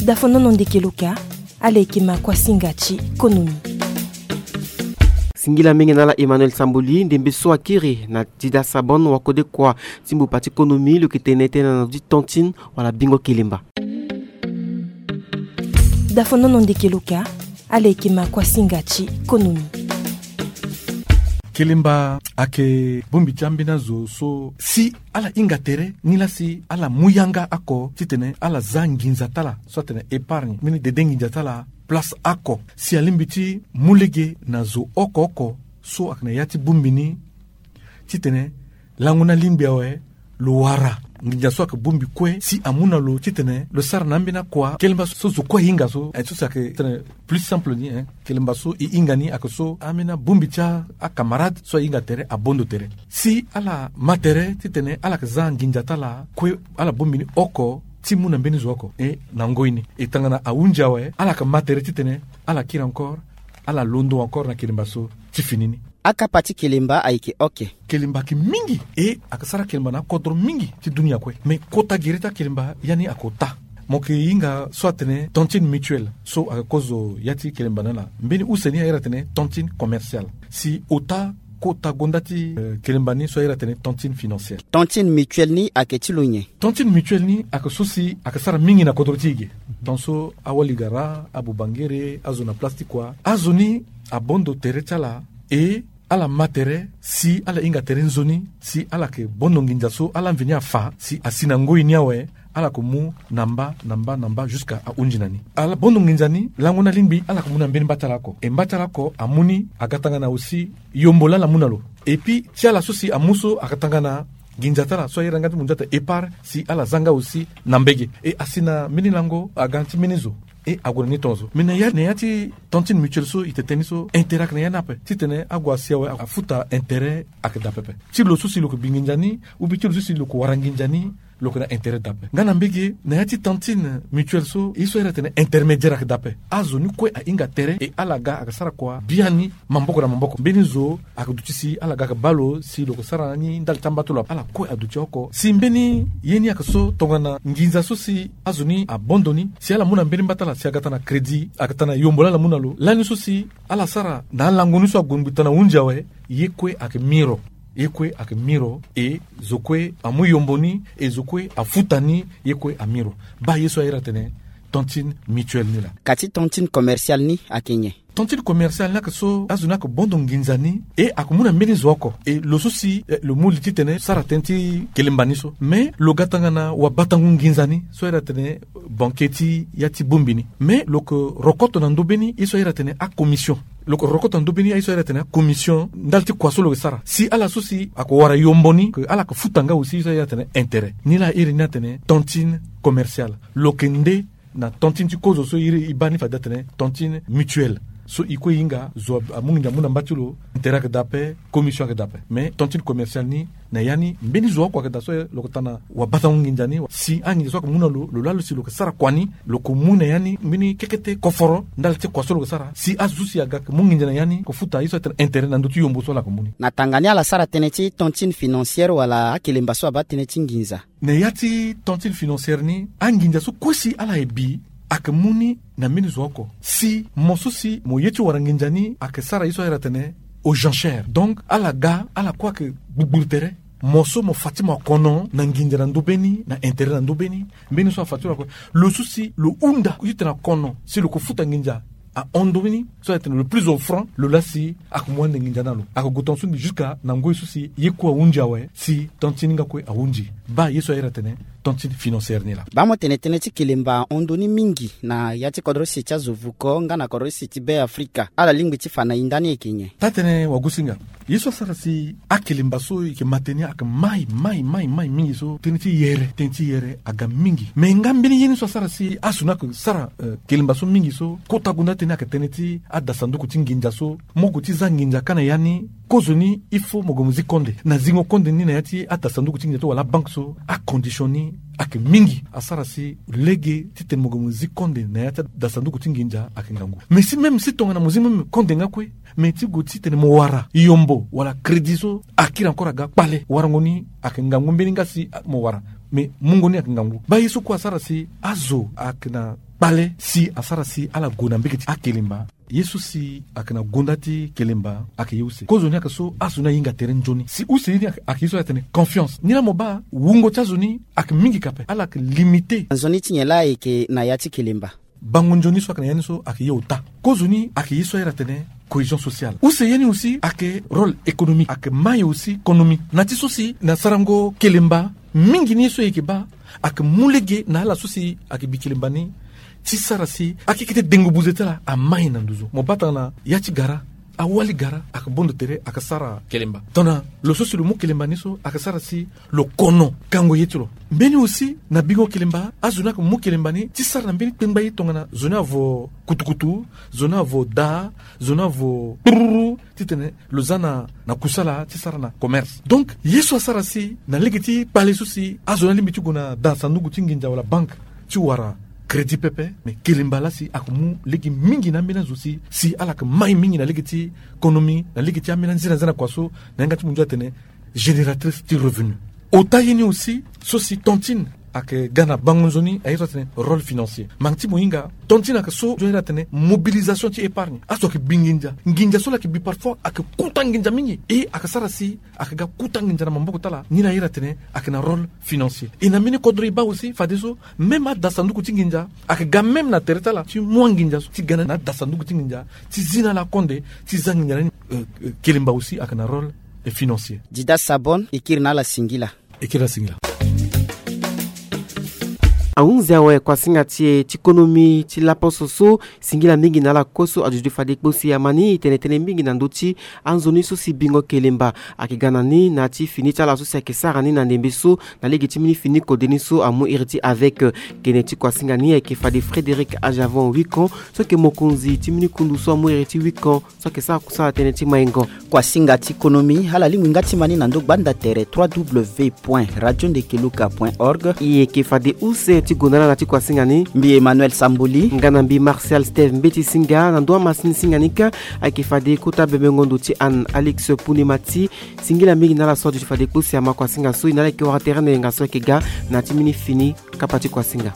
Dafonono ndeke loka, ala yeke ma kuasinga ti konomi. Singila mingi na ala Emmanuel Samboli, ndembe so akiri na Dida Sabon, wakodekua ti mbupa ti konomi, lo yeke tene tënë na ndö ti tantine wala bingo kelemba. Dafonono ndeke loka, ala yeke ma kuasinga ti konomi. Kelemba ayeke bongbi ti ambeni azo so si ala hinga tere, ni laa si ala mu yanga oko titene ala za nginza ti ala so atene épargne, mbeni dede nginza ti ala place oko, si alingbi ti mu lege na zo oko oko so ayeke na ya ti bongbi ni, titene lango ni alingbi awe, lo wara nginza so ayeke bongbi kue si amu na lo titene lo sara na ambeni akua kelemba so zo kue ahinga so, eh, so si ayeke titene plus simple ni, eh, kelemba so e hinga ni ayeke so ambeni abongbi ti a, acamarade so ahinga tere abondo tere. Si ala ma tere titene ala yeke za nginza ti ala kue, ala bongbi ni oko ti mu na mbeni zo oko. E na ngoi ni, e tongana ahunzi awe, ala yeke ma tere titene ala kiri encore, ala londo encore na kelemba so ti fini ni. Akapa ti kelemba ayeke oke. Kelemba ayeke mingi, e ayeke sara kelemba na akodro mingi ti dunia kue. Me kota gere ti akelemba ya ni ayeke ota. Mo yeke hinga so atene tantine mutuelle so ayeke kozo ya ti kelemba ni ala. Mbeni use ni airi atene tantine commerciale. Si ota kota gonda ti, eh, kelemba ni so airi atene tantine financière. Tantine mutuelle ni ayeke ti lo nyen? Tantine mutuelle ni ayeke so si ayeke sara mingi na kodro ti e ge. Tongaso awali gara, abobangere, azo na place ti kua, azo ni abondo tere ti ala, e ala ma tere, si ala hinga tere nzoni, si ala yeke bondo nginza so ala mveni afa, si asi na ngoi ni awe, ala yeke mu na mba na mba na mba jusqu'à ahunzi na ni. Ala bondo nginza ni, lango ni alingbi ala yeke mu na mbeni mba ti ala oko. E mba ti ala oko amu ni, aga tongana aussi yombo laa ala mu na lo. Et puis ti ala so si amu so aga tongana nginza ti ala so airi yanga ti munzu ata épargne, si ala za nga aussi na mbege. E asi na mbeni lango aga ti mbeni zo. E ague na ni tongaso. Me na ya, na ya ti tantine mutuelle so e tene tënë ni so, intérêt ayeke na ya ni ape. Titene ague asi awe, afuta intérêt ayeke daa pepe. Ti lo so si lo yeke bi nginza ni, ou bien ti lo so si lo yeke wara nginza ni, lo yeke na intérêt daa pepe. Nga na mbege, na ya ti tantine mutuelle so, ye so airi atene intermédiaire ayeke daa pepe. Azo ni kue ahinga tere, e ala ga ayeke sara kua biani maboko na maboko. Mbeni zo ayeke duti si ala ga ayeke baa lo si lo yeke sara ni ndali ti amba ti lo ape. Ala kue aduti oko. Si mbeni ye ni ayeke so tongana nginza so si azo ni abondo ni, si ala mu na mbeni mba ti ala, si aga tongana crédit, aga tongana yombo laa ala mu na lo, lani so si ala sara na alango ni so ague ngbi tongana hunzi awe, ye kue ayeke miro. Ye kue ayeke miro, e zo kue amu yombo ni, e zo kue afuta ni, ye kue amiro. Baa ye so airi atene tantine mutuelle ni laa. Ka ti tantine commerciale ni ayeke nyen? Tantine commerciale ni ayeke so azo ni ayeke bondo nginza ni, e ayeke mu na mbeni zo oko. E lo so si, eh, lo mu li titene sara tënë ti kelemba ni so. Me lo ga tongana wabatango nginza ni so airi atene banquier ti ya ti bongbi ni. Me lo yeke rokoto na ndö mbeni ye so airi atene acommission. Lo yeke rokoto na ndö mbeni ye so airi atene acommission ndali ti kua so lo yeke sara. Si ala so si ayeke wara yombo ni, ke ala yeke futa nga aussi ye so airi atene intérêt. Ni laa airi ni atene tantine commerciale. Lo yeke nde na tantine ti kozo so iri e baa ni fade atene tantine mutuelle. So e kue e hinga, zo amu nginza amu na mba ti lo, intérêt ayeke daa ape, commission ayeke daa ape. Mais tantine commerciale ni, na ya ni mbeni zo oko ayeke daa so lo yeke tongana wabatango nginza ni. Si anginza so ayeke mu na lo, lo laa lo si lo yeke sara kua ni, lo yeke mu na ya ni mbeni kekete koforo ndali ti kua so lo yeke sara. Si azo so si aga ayeke mu nginza na ya ni, yeke futa ye so atene intérêt na ndö ti yombo so ala yeke mu ni. Na tanga ni ala sara tënë ti tantine financière wala akelemba so abaa tënë ti nginza? Na ya ti tantine financière ni, anginza so kue si ala ye bi ayeke mu ni na mbeni zo oko. Si mo so si mo ye ti wara nginza ni ayeke sara ye so airi atene aux enchères. Donc ala ga, ala kue ayeke gbugburu tere. Mo so mo fa ti mo akono na nginza na ndö mbeni, na intérêt na ndö mbeni. Mbeni so afa ti lo akue. Lo so si lo hunda titene akono si lo yeke futa nginza ahon ndo ni so airi atene le plus offrant, lo laa si ayeke mu ande nginza na lo. Ayeke gue tongaso ni jusqu'à na ngoi so si ye kue ahunzi awe, si tantine ni nga kue ahunzi. Baa ye so airi atene tantine financière ni laa. Baa mo tene tënë ti kelemba ahon ndo ni mingi na ya ti kodro sese ti azo vuko nga na kodro sese ti Be Afrika. Ala lingbi ti fa na e ndani ayeke nyen? Taa-tënë wagosinga. Ye so asara si akelemba so e yeke ma tënë ni ayeke mai, mai, mai, mai mingi so, tënë ti yere, tënë ti yere aga mingi. Me nga mbeni ye ni so asara si azo ni ayeke sara, eh, kelemba so mingi so, kota gonda tënë ni ayeke tënë ti adasanduku ti nginza so, mo gue ti za nginza kâ na ya ni, kozo ni, il faut mo gue mo zi konde. Na zingo konde ni na ya ti adasanduku ti nginza ti wala abanke so, acondition ni ayeke mingi. Asara si lege titene mo gue mo zi konde na ya ti adasanduku ti nginza ayeke ngangu. Mais si même si tongana mo zi même konde nga kue, mais ti gue titene mo wara yombo wala crédit so akiri encore aga kpale, warango ni ayeke ngangu mbeni nga si, ah, mo wara. Mais mungo ni ayeke ngangu. Baa ye so kue asara si azo ayeke na kpale si asara si ala gue na mbege ti akelemba. Ye so si ayeke na gonda ti kelemba ayeke ye use. Kozoni ayeke so azo ni ahinga tere nzoni. Si use ye ni ayeke ye so ala tene confiance. Ni laa mo baa wungo ti azo ni ayeke mingi ka ape, ala yeke limite. Nzoni ti nyen laa ayeke na ya ti kelemba? Bango nzoni so ayeke na ya ni so ayeke ye ota. Kozoni ayeke ye so ayeke tene cohésion sociale. Use ye ni aussi ayeke rôle économique, ayeke mai aussi konomi. Na ti so si na sarango kelemba, mingi ni ye so e yeke baa ayeke mu lege na ala so si ayeke bi kelemba ni ti sara si akeke ti dengo buze ti ala amai na nduzu. Mo baa tongana ya ti gara, awali gara ayeke bondo tere ayeke sara kelemba. Tongana lo so si lo mu kelemba ni so ayeke sara si lo kono kango ye ti lo. Mbeni aussi na bingo kelemba, azo ni ayeke mu kelemba ni ti sara na mbeni kpengba ye tongana zo ni avo kutukutu, zo ni avo daa, zo ni avo kpururu, titene lo za na, na kusala ti sara na commerce. Donc ye so asara si na lege ti kpale so si azo ni alingbi ti gue na da sanduku ti nginza wala banque ti wara crédit pepe. Mais kelemba laa si ayeke mu lege mingi na ambeni azo si, si ala yeke mai mingi na lege ti konomi, na lege ti ambeni anzena nzena kua so na yanga ti munzu atene génératrice ti revenu. Ota ye ni aussi so si tontine ayeke ga na bango nzoni, aye so atene rôle financier. Mangi ti mo hinga, tontine ayeke so nzoni atene mobilisation ti épargne. Azo ayeke bi nginza, nginza so ala yeke bi parfois ayeke kuta nginza mingi. E ayeke sara si ayeke ga kuta nginza na maboko ti ala. Ni laa aye atene ayeke na rôle financier. E na mbeni kodro e baa aussi fadeso même ada sanduku ti nginza ayeke ga même na tere ti ala ti mu anginza so ti ga na ada sanduku ti nginza ti zi na ala konde ti za nginza na ni. Euh, euh, kelemba aussi ayeke na rôle, euh, financier. Dida Sabon, e kiri na ala singila. E kiri na ala singila. Ahunzi awe kuasinga ti e ti konomi ti laposo so, singila mingi na ala kue so adudu fade kpo si ama ni e tene tënë mingi na ndö ti anzoni so si bingo kelemba ayeke ga na ni na ti fini ti ala so si ayeke sara ni na ndembe so, na lege ti mbeni fini kode ni so amu iri ti avec. Gene ti kuasinga ni ayeke fade Frédéric Ajavon Wicon, so ayeke mokonzi ti mbeni kundu so amu iri ti Wicon, so ayeke sara kusala tënë ti maingo. Kuasinga ti konomi, ala lingbi nga ti ma ni na ndö gbanda tere trois W point radio ndekeluka point org. E yeke fade use ti gonda na ala ti kuasinga ni. Mbi Emmanuel Samboli. Nga na mbi Martial Steve Mbeti Singa. Na ndö amasini singa ni kâ ayeke fade kota bembengo ndo ti Anne Alix Pune Mati. Singila mingi na ala so aduti fade kpo si ama kuasinga so, e na ala yeke wara tere na yenga so ayeke ga na ya ti mbeni fini kapa ti kuasinga.